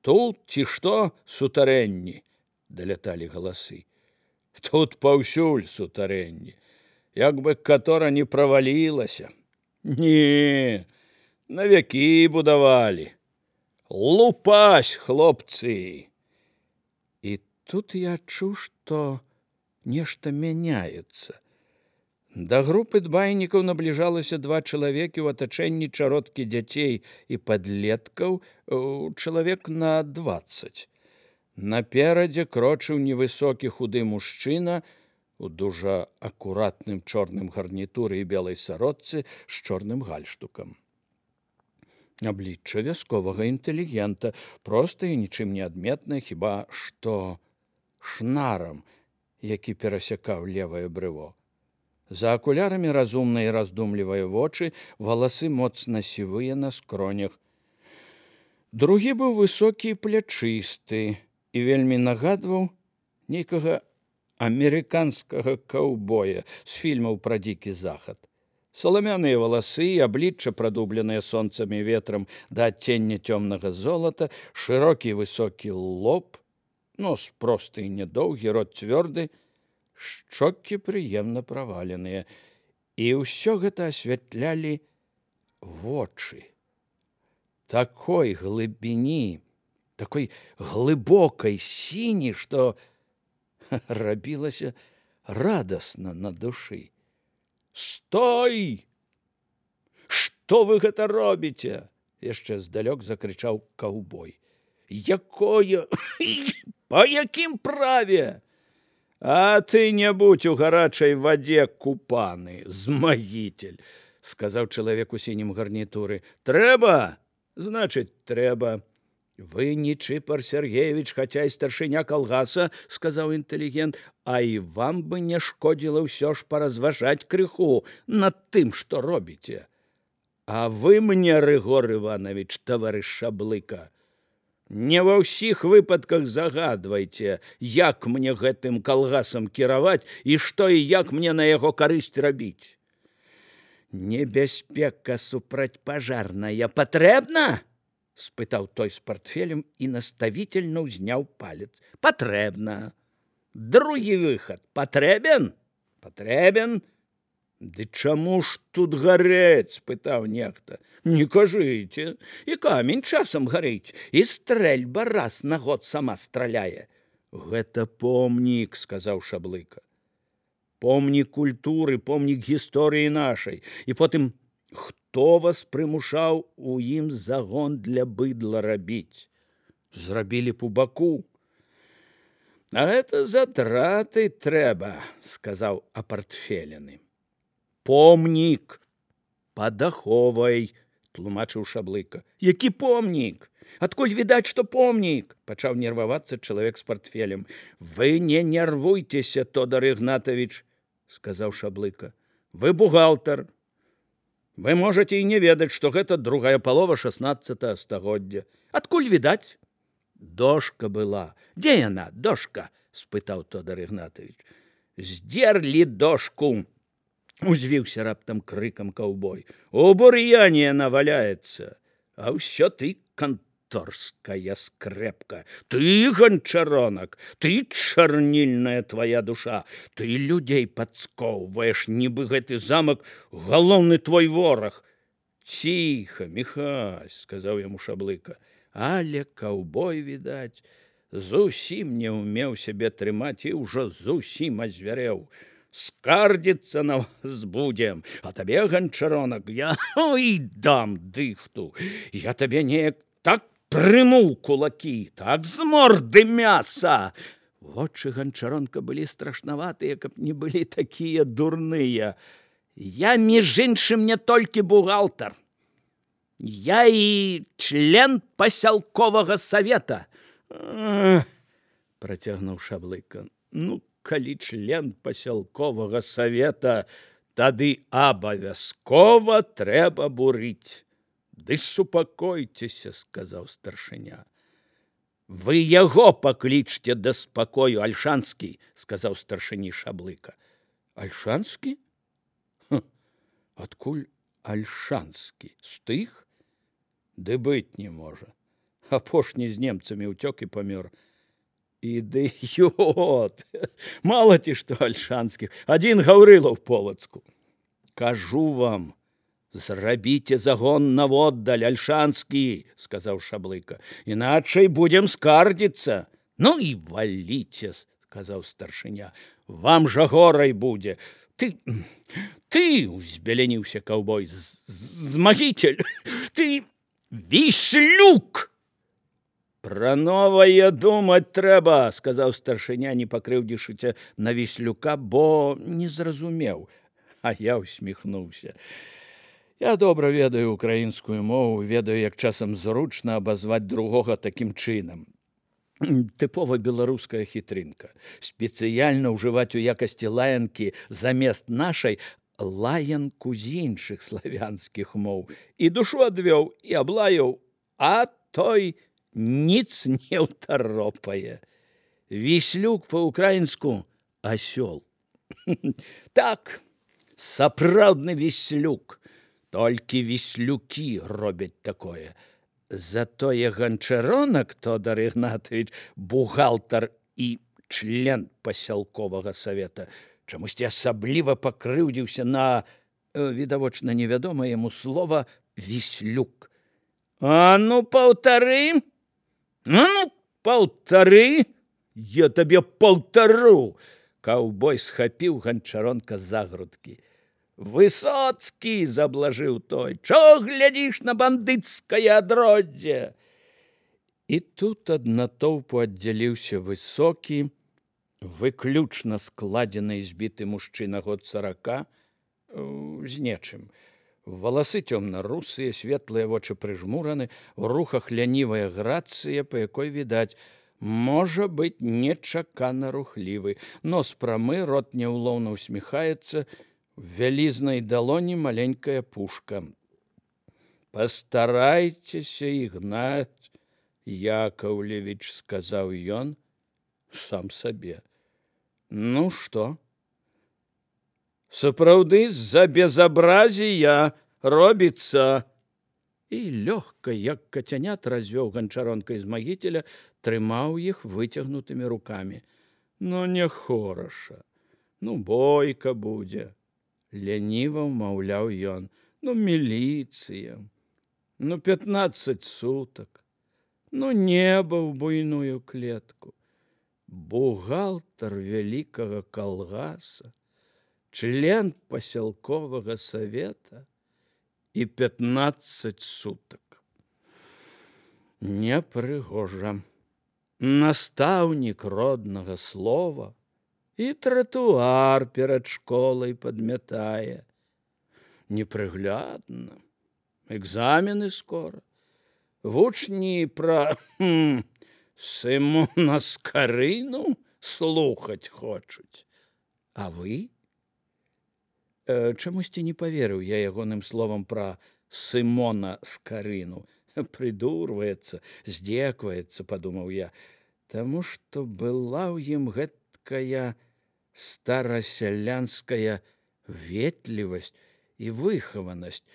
Тут ці што сутарэнні? Даляталі галасы. Тут паўсюль сутарэнні. Як бы катора не правалілася. Не, на вякі будавалі. Лупась, хлопцы! І тут я адчуў, што нешта мяняецца. Да групы дбайнікаў набліжалася 2 чалавекі ў атачэнні чародкі дзяцей і падлеткаў, чалавек на 20. Наперадзе крочыў невысокі худы мужчына у дужа акуратным чорным гарнітуры і белай сародцы з чорным гальштукам. Аблічча вясковага інтэлігента, проста і нічым не адметнае, хіба што шнарам, які перасякаў левае брыво. За акулярамі разумныя і раздумлівыя вочы, валасы моцна сівыя на скронях. Другі быў высокі і плячысты і вельмі нагадваў нейкага амерыканскага каўбоя з фільмаў пра дзікі захад. Саламяныя валасы і аблічча, прадубленыя сонцам і ветрам да адцення цёмнага золата, шырокі высокі лоб, нос просты і нядоўгі, рот цвёрды, шчокі прыемна праваленыя. І ўсё гэта асвятлялі вочы. Такой глыбіні, такой глыбокай сіні, што рабілася радасна на душы. «Стой! Што вы гэта робіце?» яшчэ здалёк закрычаў каўбой. «Якое? Па якім праве? А ты не будь у гарачай вадзе купаны, змагіцель», сказаў чалавек у сінім гарнітуры. «Трэба? Значыць, трэба. Вы не Чыпар Сергеевич, хаця і старшыня калгаса», сказаў інтэлігент, «а і вам бы не шкодзіла ўсё ж паразважаць крыху над тым, што робіце. А вы мне, Рыгор Іванович, таварыш Шаблыка, не ва ўсіх выпадках загадвайце, як мне гэтым калгасам кіраваць і што і як мне на яго карысць рабіць. Небяспека супрацьпажарная патрэбна?» спытаў той з партфелем і наставительно ўзняў палец. «Патрэбна. Другі выхад патрэбен? Патрэбен. Ды чаму ж тут гарэць?» спытаў нехта. «Не кажыце, і камень часам гарыць, і стрэльба раз на год сама страляе». «Гэта помнік», сказаў Шаблыка. «Помнік культуры, помнік гісторыі нашай. І потым, хто вас прымушаў у ім загон для быдла рабіць? Зрабілі б у баку». «А гэта затраты трэба», сказаў апартфелены. «Помнік падаховай», тлумачыў Шаблыка. «Які помнік? Адкуль відаць, што помнік?» пачаў нервавацца чалавек з партфелем. «Вы не нервуйцеся, Тодар Ігнатович», сказаў Шаблыка. «Вы бухгалтар. Вы можаце і не ведаць, што гэта другая палова 16 стагоддзя. Адкуль відаць?» «Дошка была. Дзе яна, дошка?» спытаў Тодар Ігнатович. «Здзерлі дошку!» узвіўся раптам крыкам каўбой. «У бур'яне яна валяецца. А ўсё ты канторская скрэпка. Ты ганчаронак, ты чарнільная твоя душа. Ты людзей падскоўваеш, нібы гэты замак галоўны твой вораг». «Ціха, Міхась», сказаў яму Шаблыка. Але каўбой, відаць, зусім не ўмеў сябе трымаць і ўжо зусім азвярэў. «Скардзіцца на вас будзем, а табе, ганчаронак, я дам дыхту. Я табе неяк так прыму кулакі, так з морды мяса». Вочы ганчаронка былі страшнаватыя, каб не былі такія дурныя. «Я, між іншым, не толькі бухгалтар. Я і член пасялковага савета». Працягнуў Шаблыка. «Ну, калі член пасялковага савета, тады абавязкова трэба бурыць». «Ды супакойцеся», сказаў старшыня. «Вы яго паклічце да спакою, Альшанскі», сказаў старшыні Шаблыка. «Альшанскі? Адкуль Альшанскі? З тых? Ды быць не можа. Апошні з немцамі ўцёк і памёр. Ідыёт! Мала ці што альшанскіх, адзін Гаўрыла ў Полацку. Кажу вам, зрабіце загон наводдаль, альшанскі, сказаў Шаблыка, іначай будзем скардзіцца. Ну і валіце, сказаў старшыня, вам жа горай будзе. Ты, узбяляніўся каўбой, змагіцель, ты Віслюк! Пра новае думаць трэба, сказаў старшыня, не пакрыўдзішыся на Віслюка, бо не зразумеў. А я усміхнуўся. Я добра ведаю украінскую мову, ведаю, як часам зручна абазваць другога такім чынам. Тыпова беларуская хітрынка. Спецыяльна ўжываць у якасці лаянкі замест нашай лаянку з іншых славянскіх моў. І душу адвёў, і аблаяў, а той ніц не ўтаропае. Віслюк па-украінску асёл. Так, сапраўдны Віслюк. Толькі віслюкі робяць такое. Затое Ганчаронак Тодар Ігнатович, бухгалтар і член пасялковага савета, чамусьці асабліва пакрыўдзіўся на, відавочна невядома яму слова, Віслюк. А ну, паўтары! Ну, паўтары! Я табе паўтару! Каўбой схапіў Ганчаронка за грудкі. Высоцкі, заблажыў той, чо глядзіш на бандыцкае адроддзе? І тут ад натоўпу аддзяліўся высокі, выключна складзены і збіты мужчына год 40, з нечым. Валасы цёмна-русыя, светлыя вочы прыжмураны, у рухах лянівая грацыя, па якой відаць, можа быць нечакана рухлівы. Нос прамы, рот няўлоўна усміхаецца, в вялізнай далоні маленькая пушка. Пастарайцеся, Ігнаць Яковлевич, сказаў ён сам сабе. Ну што? Сапраўды з-за безабразія робіцца. І лёгка, як кацянят, развёў Ганчаронка з магіцеля, трымаў іх выцягнутымі рукамі. Ну, не хораша, ну, бойка будзе. Ляніва ўмаўляў ён. Ну, міліцыя, ну, 15 сутак, ну, неба ў буйную клетку. Бухгалтар вялікага калгаса, член пасялковага савета і 15 сутак. Непрыгожа. Настаўнік роднага слова і тратуар перад школай падмятае. Непрыглядна. Экзамены скора. Вучні пра Сымона Скарыну слухаць хочуць. А вы? Чамусьці не паверыў я ягоным словам пра Сымона Скарыну. Прыдурваецца, здзекваецца, падумаў я, таму што была ў ім гэткая старасялянская ветлівасць і выхаванасць,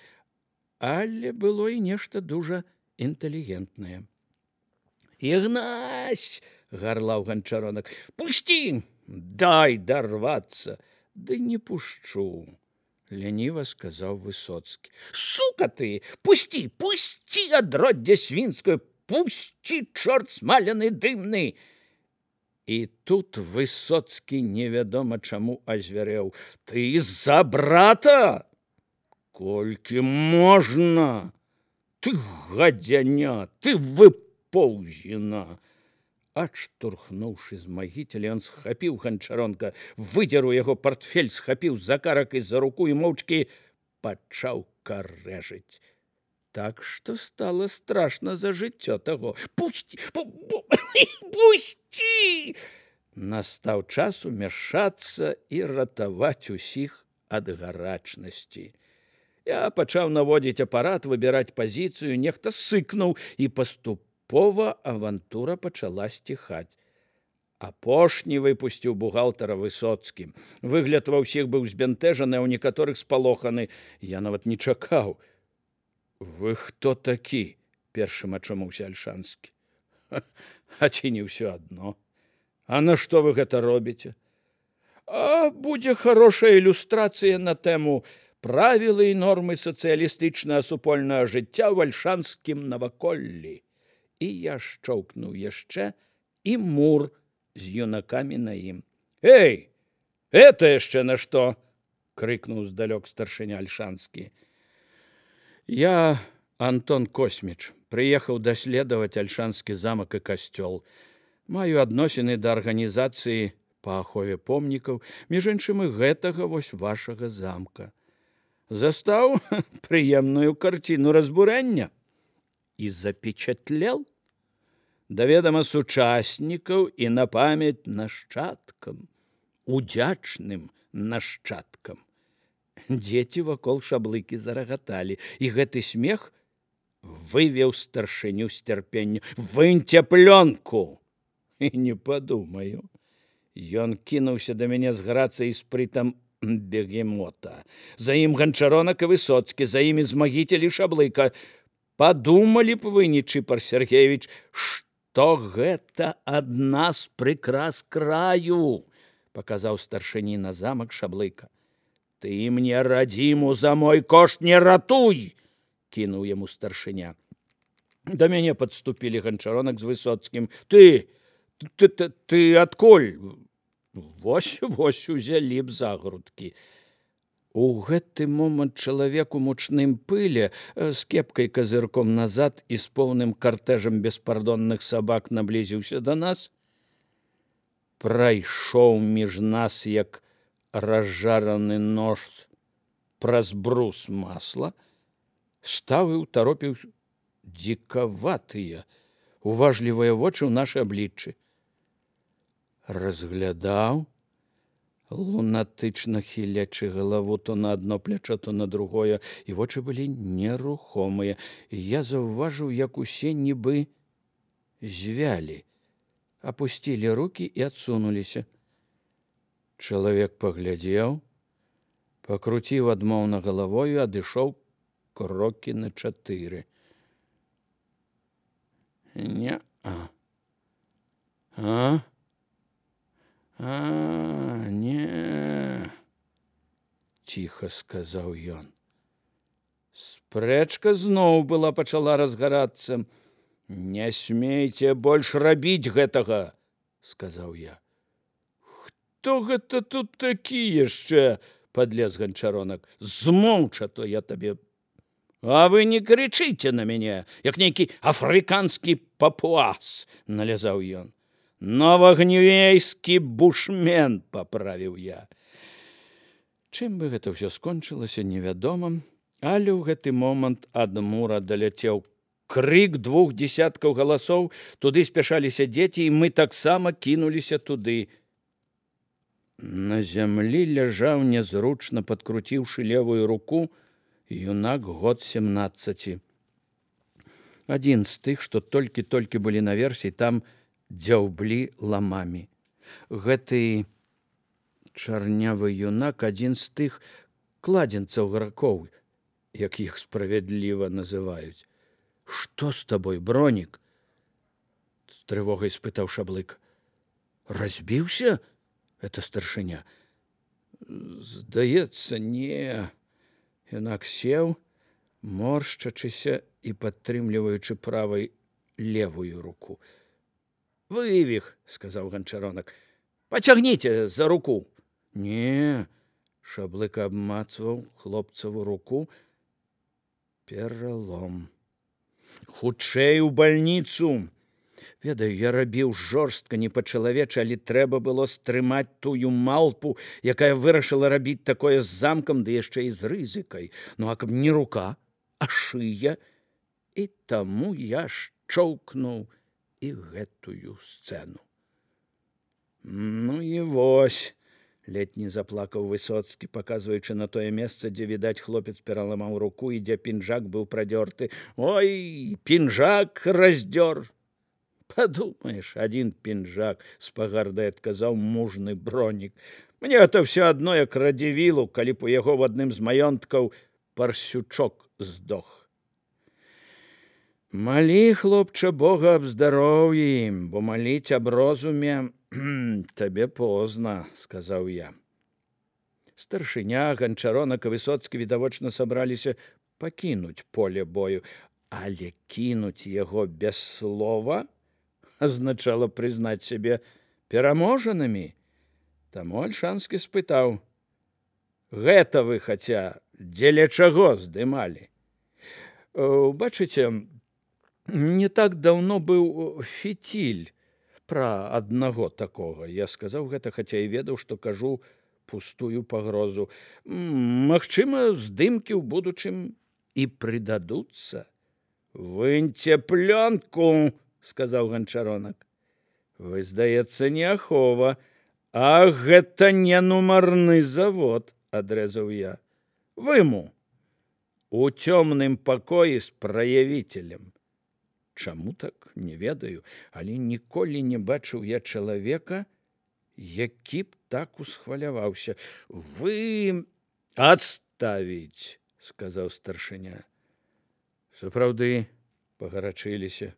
але было і нешта дужа інтэлігентнае. Ігнась, гарлаў Ганчаронак, пусці, дай дарвацца. Ды не пушчу, ляніва сказаў Высоцкі. Сука ты, пусці, пусці, адроддзе свінскае, пусці, чорт смаляны дымны. І тут Высоцкі невядома чаму азвярэў. Ты за брата? Колькі можна? Ты гадзяня, ты выпоўзіна. Адштурхнуўшы з магіцеля, ён схапіў Ганчаронка, выдзер у яго партфель, схапіў за карак і за руку і моўчкі пачаў карэжыць. Так што стала страшна за жыццё таго. Пусці! Пусці! Настаў час умяшацца і ратаваць усіх ад гарачнасці. Я пачаў наводзіць апарат, выбіраць пазіцыю, нехта сыкнуў, і паступова авантура пачала сціхаць. Апошні выпусціў бухгалтара Высоцкі. Выгляд ва ўсіх быў збянтэжаны, а ў некаторых спалоханы. Я нават не чакаў. Вы хто такі? Першым ачомаўся Альшанскі. А ці не ўсё адно? А на што вы гэта робіце? А будзе хорошая ілюстрацыя на тэму правілы і нормы сацыялістычнага супольнага жыцця ў альшанскім наваколлі. І я шчоўкнуў яшчэ, і мур з юнакамі на ім. Эй, это яшчэ на што? Крыкнуў здалёк старшыня альшанскі. Я, Антон Косміч, прыехаў даследаваць альшанскі замак і касцёл. Маю адносіны да арганізацыі па ахове помнікаў, між іншым і гэтага вось вашага замка. Застаў прыемную карціну разбурэння і запечатлел да ведама сучаснікаў і на памяць нашчадкам, удзячным нашчадкам. Дзеці вакол шаблыкі зарагаталі, і гэты смех вывеў старшыню з цярпення. Выньце плёнку! І не падумаю. Ён кінуўся да мяне з грацыяй і спрытам бегемота. За ім Ганчаронак і Высоцкі, за імі Змагіцель і Шаблыка. Падумалі б вы, Нечыпар Сергеевич, што гэта адна з прыкрас краю, паказаў старшыні на замак Шаблыка. Ты мне радзіму за мой кошт не ратуй, кінуў яму старшыня. Да мяне падступілі Ганчаронак з Высоцкім. Ты адкуль? Вось узялі б за грудкі. У гэты момант чалавек у мучным пыле з кепкай казырком назад і з поўным картэжам беспардонных сабак наблізіўся да нас. Прайшоў між нас, як разжараны нож праз брус масла, стаў і ўтаропіў дзікаватыя, уважлівыя вочы ў нашы абліччы. Разглядаў, лунатычна хілячы галаву то на адно плячо, то на другое, і вочы былі нерухомыя. Я заўважыў, як усе нібы звялі, апусцілі рукі і адсунуліся. Чалавек паглядзеў, пакруціў адмоўна галавою, адышоў крокі на 4. Не-а. Не, ціха сказаў ён. Спрэчка зноў пачала разгарацца. Не смейце больш рабіць гэтага, сказаў я. Хто гэта тут такі яшчэ? Падлез Ганчаронак. Змоўча, то я табе. А вы не крычыце на мяне, як нейкі афрыканскі папуас, налязаў ён. Новагнювейскі бушмен, паправіў я. Чым бы гэта ўсё скончылася, невядома, але ў гэты момант ад мура даляцеў крык 2 дзесяткаў галасоў, туды спяшаліся дзеці, і мы таксама кінуліся туды. На зямлі ляжаў нязручна, падкруціўшы левую руку, юнак год 17. Адзін з тых, што толькі-толькі былі наверсе, там дзяўблі ламамі. Гэты чарнявы юнак адзін з тых кладзенцаў гракоў, як іх справядліва называюць. Што з табой, Бронік? З трывогай спытаў Шаблык. Разбіўся? Это старшыня. Здаецца, не. Юнак сеў, моршчачыся і падтрымліваючы правай левую руку. Вывіх, сказаў Ганчаронак. Пацягніце за руку. Не, Шаблык абмацваў хлопцаву руку. Пералом. Хутчэй у бальніцу. Ведаю, я рабіў жорстка, не па-чалавечы, але трэба было стрымаць тую малпу, якая вырашыла рабіць такое з замкам, ды яшчэ і з рызыкай. Ну, а каб не рука, а шыя. І таму я шчоўкнуў і гэтую сцэну. Ну і вось, ледь не заплакаў Высоцкі, паказваючы на тое месца, дзе, відаць, хлопец пераламаў руку і дзе пінжак быў прадзёрты. Ой, пінжак раздзёр. Падумаеш, адзін пінжак, з пагардай адказаў мужны Бронік. Мне гэта ўсё адно, як радзівілу, калі б у яго в адным з маёнткаў парсючок здох. Малі, хлопча, Бога аб здароўі ім, бо маліць аб розуме табе позна, сказаў я. Старшыня, Ганчаронак і Высоцкі відавочна сабраліся пакінуць поле бою, але кінуць яго без слова азначала прызнаць сябе пераможанымі. Таму Альшанскі спытаў: гэта вы хаця дзеля чаго здымалі? Бачыце, не так даўно быў фіціль пра аднаго такога. Я сказаў гэта, хаця і ведаў, што кажу пустую пагрозу. Магчыма, здымкі ў будучым і прыдадуцца. Выньце плёнку, сказаў Ганчаронак. Вы, здаецца, не ахова, а гэта не нумарны завод, адрэзаў я. Выму у цёмным пакоі з праявіцелем. Чаму так, не ведаю, але ніколі не бачыў я чалавека, які б так усхваляваўся. Вы адставіць, сказаў старшыня. Сапраўды пагарачыліся.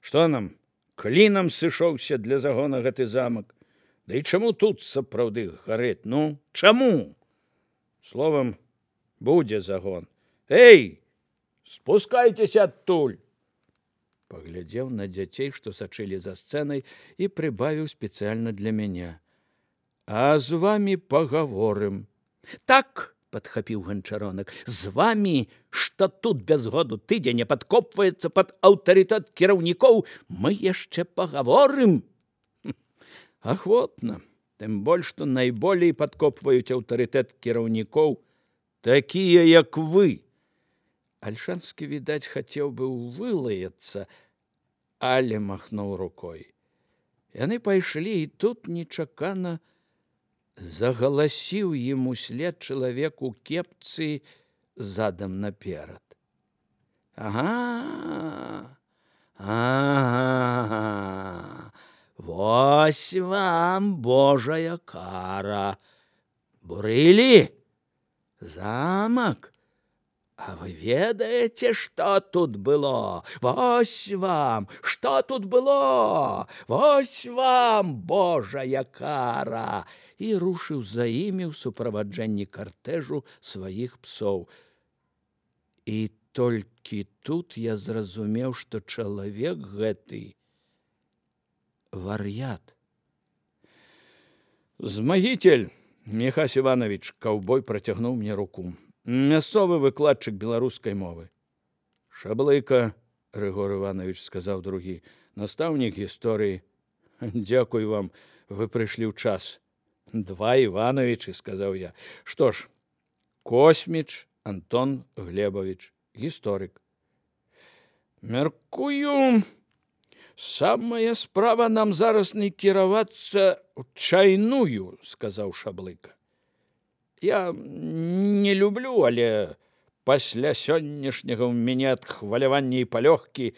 Што нам, клінам сышоўся для загона гэты замак? Да і чаму тут сапраўды гарэць? Ну, чаму? Словам, будзе загон. Эй, спускайцеся адтуль! Паглядзеў на дзяцей, што сачылі за сцэнай, і прыбавіў спецыяльна для мяне. А з вамі пагаворым. Так, падхапіў Ганчаронак, з вамі, што тут без году тыдзень не падкопваецца пад аўтарытэт кіраўнікоў, мы яшчэ пагаворым. Ахвотна, тым больш, што найболей падкопваюць аўтарытэт кіраўнікоў такія, як вы. Альшанскі, відаць, хацеў бы вылаяцца, але махнуў рукой. Яны пайшлі, і тут нечакана загаласіў ім услед чалавек у кепцы задам наперад. Ага, вось вам Божая кара. Бурылі замак. А вы ведаеце, што тут было? Вось вам, што тут было? Вось вам Божая кара! І рушыў за імі ў суправаджэнні картэжу сваіх псоў. І толькі тут я зразумеў, што чалавек гэты вар'ят. Змагитель, Міхась Іванович, каўбой працягнуў мне руку. Мясцовы выкладчык беларускай мовы. Шаблыка, Рыгор Іванович, сказаў другі, настаўнік гісторыі. Дзякуй вам, вы прыйшлі ў час. Два Івановичы, сказаў я. Што ж, Косміч Антон Глебович, гісторык. Мяркую, самая справа нам зараз не кіравацца ў чайную, сказаў Шаблыка. Я не люблю, але пасля сённяшняга ў мяне ад хвалявання і палёгкі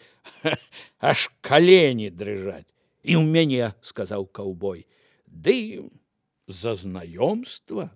аж калені дрыжаць. І ў мяне, сказаў каўбой. Ды за знаёмства.